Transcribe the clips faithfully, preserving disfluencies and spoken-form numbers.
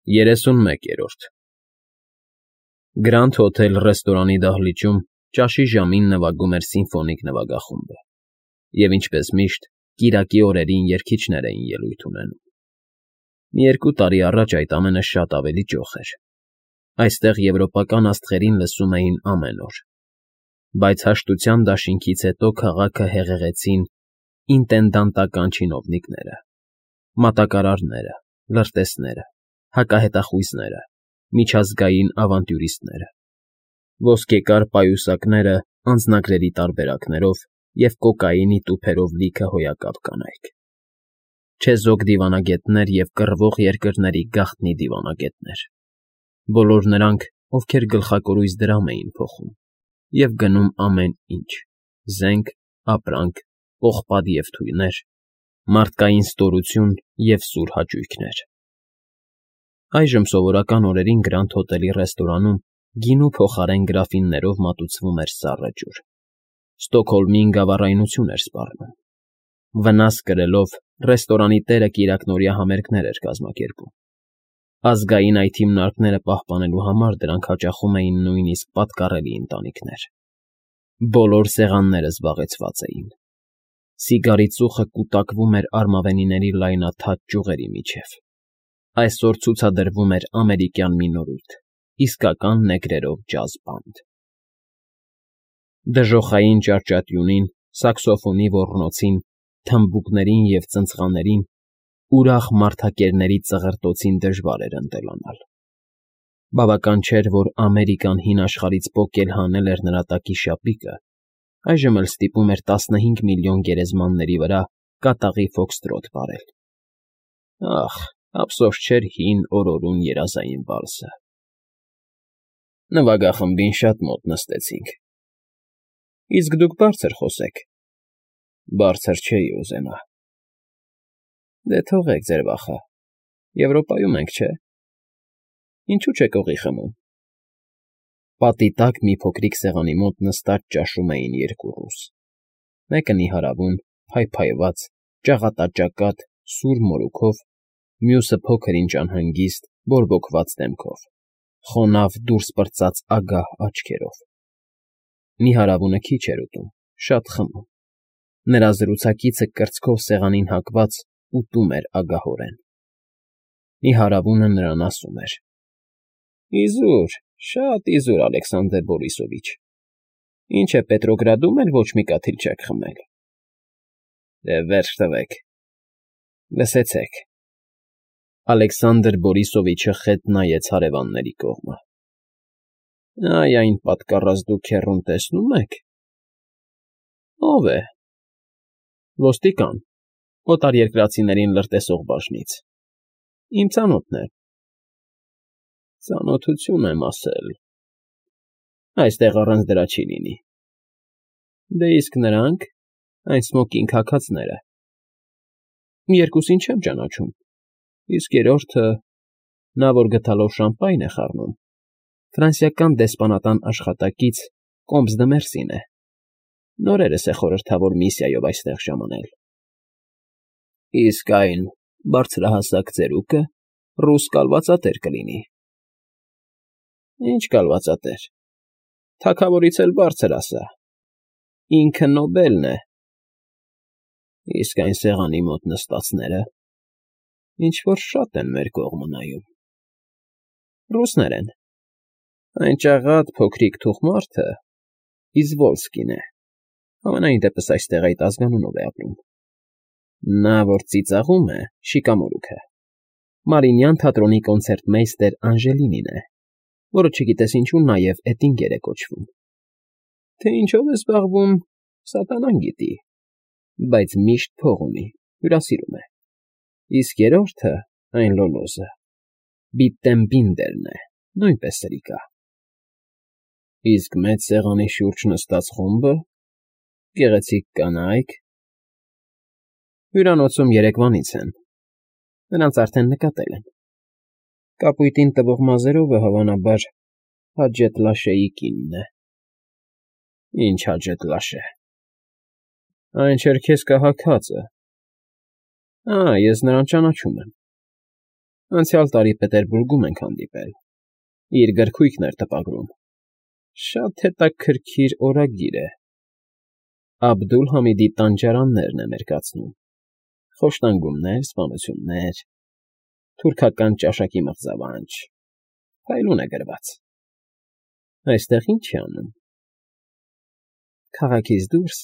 երեսունմեկերորդ Grand Hotel ռեստորանի դահլիճում ճաշի ժամին նվագում էր սիմֆոնիկ նվագախումբը, և, ինչպես միշտ, կիրակի օրերին երգիչներ էին ելույթ ունենում. մի երկու տարի առաջ այդ ամենը շատ ավելի ճոխ էր. այստեղ եվրոպական աստղերին լսում էին ամեն օր, բայց հաշտության դաշինքից հետո քաղաքը հեղեղեցին ինտենդանտական չինովնիկները, մատակարարները, լրտեսները, հակահետախույզները, միջազգային ավանտյուրիստները, ոսկեկար պայուսակները անձնագրերի տարբերակներով և կոկաինի տուփերով լիքը հոյակապ կանայք, չեզոք դիվանագետներ և կռվող երկրների գաղտնի դիվանագետներ, բոլոր նրանք, ովքեր գլխակորույս դրամ էին փոխում և գնում ամեն ինչ՝ զենք, ապրանք, պողպատ և թույներ, մարդկային ստորություն և սուր հաճույքներ։ Այժմ սովորական օրերին Grand Hotel-ի ռեստորանում գինու փոխարեն գրաֆիններով մատուցվում էր սառը ջուր, Ստոկհոլմին գավառայնություն էր սպառնում։ Վնաս կրելով ռեստորանի տերը կիրակնօրյա համերգներ էր կազմակերպում։ Ազգային այդ հիմնարկները պահպանելու համար դրանք հաճախում էին նույնիսկ պատկառելի ընտանիքներ։ Բոլոր սեղանները զբաղեցված էին։ Սիգարի ծուխը կուտակվում էր արմավենիների լայնաթաթ ճյուղերի միջև։ Այսօր ցուցադրվում էր ամերիկյան մի նորույթ՝ իսկական նեգրերով ջազ բանդ։ Դժոխային ճարճատյունին, սաքսոֆոնի ոռնոցին, թմբուկներին և ծնծղաներին, ուրախ մարդակերների ծղրտոցին դժվար էր ընտելանալ։ Բավական չէր, որ Ամերիկան հին աշխարհից պոկել հանել էր նրա տակի շապիկը, այժմ էլ ստիպում էր տասնհինգ միլիոն գերեզմանների վրա կատաղի ֆոքսթրոթ վարել։ Ախ, ափսոս չէր հին օրորուն երազային վալսը։ Նվագախմբին շատ մոտ նստեցինք։ Իսկ դուք բարձր խոսեք։ Բարձր չէի ուզենա։ Դե թողեք ձեր վախը, Եվրոպայում ենք, չէ՞։ Ինչու՞ չեք օղի խմում։ Պատի տակ մի փոքրիկ սեղանի մոտ նստած ճաշում էին երկու ռուս, մեկը նիհարավուն, փայփայված, ճաղատաճակատ, սուր մորուքով, մյուսը փոքր֊ինչ անհանգիստ, բորբոքված դեմքով, խոնավ դուրս պրծած ագահ աչքերով։ Նիհարավունը քիչ էր ուտում, շատ խմում։ Նրա զրուցակիցը կրծքով սեղանին հակված ուտում էր ագահորեն։ Նիհարավունը նրան ասում էր. Իզուր, շատ իզուր, Ալեքսանդր Բորիսովիչ, ինչ է Պետրոգրադում էլ ոչ մի կաթիլ չեք խմել։ Դե վերջ տվեք, լսեցեք։ Ալեքսանդր Բորիսովիչը խետ նայեց հարևանների կողմը։ Այ այն պատկառած դուք հեռուն տեսնո՞ւմ եք։ Ո՞վ է։ Ոստիկան, օտարերկրացիներին լրտեսող բաժնից։ Իմ ծանոթն է։ Ծանոթություն եմ ասել։ Այստեղ առանց դրա չի լինի։ Դե իսկ նրանք, այն սմոկինգ հագածները։ Երկուսին չեմ ճանաչում, իսկ երրորդը, նա, որ գդալով շամպայն է խառնում, ֆրանսիական դեսպանատան աշխատակից Կոմս դը Մերսին է, նորերս է խորհրդավոր միսիայով այստեղ ժամանել։ Իսկ այն բարձրահասակ ծերուկը ռուս կալվածատեր կլինի։ Ինչ կալվածատեր, թագավորից էլ բարձր ասա, ինքը Նոբելն է։ Իսկ այն սեղանի մոտ նստածները ինչ֊որ շատ են մեր կողմը նայում։ Ռուսներ են։ Այն ճաղատ փոքրիկ թուխ մարդը Իզվոլսկին է, համենայն դեպս այստեղ այդ ազգանունով է ապրում։ Նա, որ ծիծաղում է, շիկամորուքը, Մարիինյան թատրոնի կոնցերտմեյստեր Անժելինին է, որը չգիտես ինչու նաև Էտինգեր է կոչվում։ Թե ինչով է զբաղվում, սատանան գիտի, բայց միշտ փող ունի, հյուրասիրում է։ Իսկ երրորդը, այն լոլոզը, Բիտտենբինդերն է, նույնպես սրիկա։ Իսկ մեծ սեղանի շուրջ նստած խումբը, գեղեցիկ կանայք… Հյուրանոցում երեկվանից են, նրանց արդեն նկատել են։ Կապույտին տվող մազերովը, հավանաբար, Հաջեթ Լաշեի կինն է։ Ինչ Հաջեթ Լաշե։ Այն չերքեզկահաքածը։ Ա, ես նրան ճանաչում եմ։ Անցյալ տարի Պետերբուրգում ենք հանդիպել, իր գրքույկն էր տպագրում, շատ հետաքրքիր օրագիր է, Աբդուլ֊Համիդի տանջարաններն է մերկացնում, խոշտանգումներ, սպանություններ, թուրքական ճաշակի մղձավանջ, փայլուն է գրված, այստեղ ի՞նչ է անում։ Քաղաքից դուրս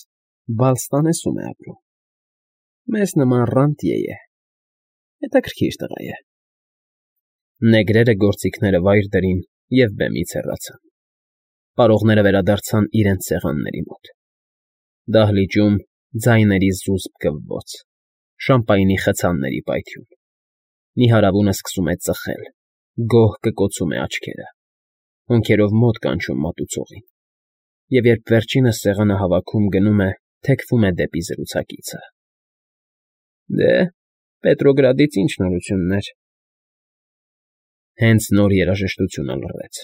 Բալստանեսում է ապրում, մեզ նման ռանտյե է, հետաքրքիր տղա է։ Նեգրերը գործիքները վայր դրին և բեմից հեռացան, պարողները վերադարձան իրենց սեղանների մոտ, դահլիճում ձայների զուսպ գվվոց, շամպայնի խցանների պայթյուն, նիհարավունը սկսում է ծխել, գոհ կկոցում է աչքերը, հոնքերով մոտ կանչում մատուցողին, և երբ վերջինս սեղանը հավաքում գնում է, թեքվում է դեպի զրուցակիցը։ Դե, Պետրոգրադից ի՞նչ նորություններ։ Հենց նոր երաժշտությունը լռեց,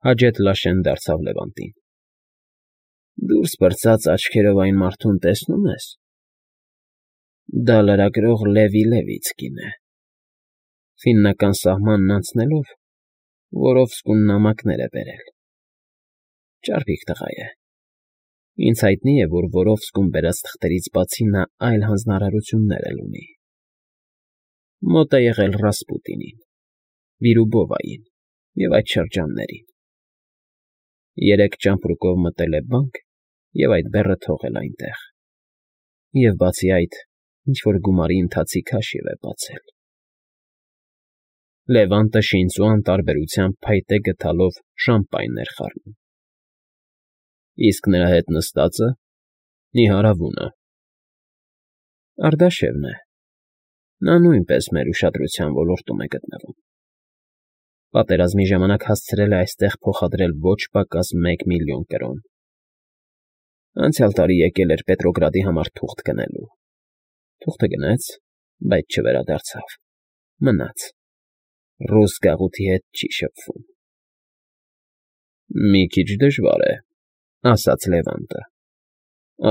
Հաջեթ֊Լաշեն դարձավ Լևանտին. Դուրս պրծած աչքերով այն մարդուն տեսնո՞ւմ ես։ Դա լրագրող Լևի Լևիցկին է, ֆիննական սահմանն անցնելով Վորովսկուն նամակներ է բերել, ճարպիկ տղա է, ինձ հայտնի է, որ Վորովսկում բերած թղթերից բացի նա այլ հանձնարարություններ էլ ունի, մոտ է եղել Ռասպուտինին, Վիրուբովային և այդ շրջաններին, երեկ ճամպրուկով մտել է բանկ և այդ բեռը թողել այնտեղ, և բացի այդ, ինչ֊որ գումարի ընթացիկ հաշիվ է բացել։ Լևանտը շինծու անտարբերությամբ փայտե գդալով շամպայն էր խառնում։ Իսկ նրա հետ նստածը՝ նիհարավունը։ Արդաշևն է, նա նույնպես մեր ուշադրության ոլորտում է գտնվում։ Պատերազմի ժամանակ հասցրել է այստեղ փոխադրել ոչ պակաս մեկ միլիոն կրոն։ Անցյալ տարի եկել էր Պետրոգրադի համար թուղթ գնելու, թուղթը գնեց, բայց չվերադարձավ, մնաց, ռուս գաղութի հետ չի շփվում։ Մի քիչ դժվար է, ասաց Լևանտը,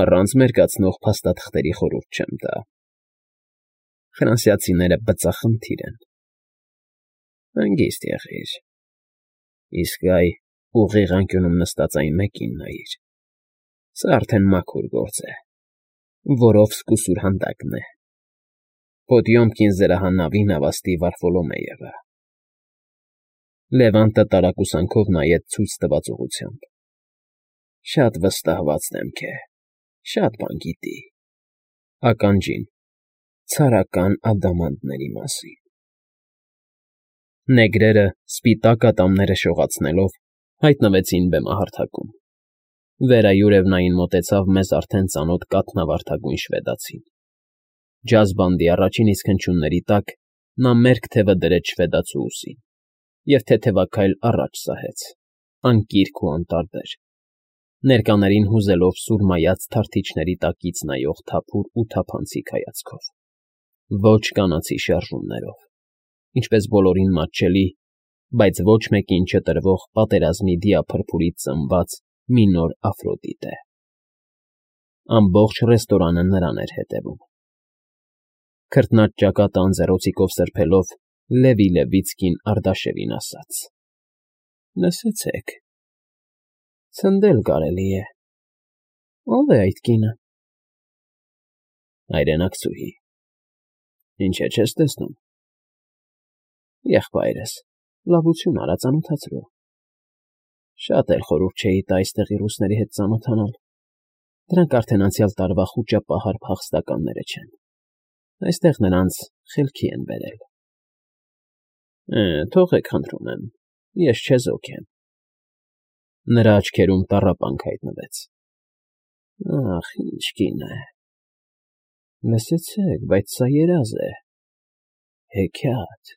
առանց մերկացնող փաստաթղթերի խորհուրդ չեմ տա։ Ֆրանսիացիները բծախնդիր են։ Հանգիստ եղիր, իսկ այ ուղիղ անկյունում նստած այն մեկին նայիր, սա արդեն մաքուր գործ է, Վորովսկու սուրհանդակն է, Պոդյոմկին զրահանավի նավաստի Վարֆոլոմեևը։ Լևանտը տարակուսանքով նայեց ցույց տված ուղղությամբ։ Շատ վստահված դեմք է, շատ բան գիտի, ականջին, ցարական ադամանդների մասին։ Նեգրերը, սպիտակ ատամները շողացնելով, հայտնվեցին բեմահարթակում։ Վերայուրևնային մոտեցավ մեզ արդեն ծանոթ կաթնավարդագույն շվեդացին։ Ջազ բանդի առաջին իսկ հնչյունների տակ նա մերկ թևը դրեց շվեդացու ուսին և թեթևաքայլ առաջ սահեց, անկիրք ու անտարբեր, ներկաներին հուզելով սուրմայած թարթիչների տակից նայող թափուր ու թափանցիկ հայացքով, ոչ կանացի շարժումներով, ինչպես բոլորին մատչելի, բայց ոչ մեկին չտրվող պատերազմի դիափրփուրից ծնված մի նոր Աֆրոդիտե։ Ամբողջ ռեստորանը նրան էր հետևում։ Քրտնած ճակատը անձեռոցիկով սրբելով, Լևի Լևիցկին Արդաշևին ասաց. Լսեցեք, ցնդել կարելի է, ո՞վ է այդ կինը։ Հայրենակցուհի, ինչ է, չես տեսնում։ Եղբայրս, լավություն արա, ծանոթացրու։ Շատ էլ խորհուրդ չէի տա այստեղի ռուսների հետ ծանոթանալ, դրանք արդեն անցյալ տարվա խուճապահար փախստականները չեն, այստեղ նրանց խելքի են բերել։ Թողեք, խնդրում եմ, ես չեզոք եմ։ Նրա աչքերում տառապանք հայտնվեց։ Ախ, ինչ կին է։ Լսեցեք, բայց սա երազ է, հեքիաթ։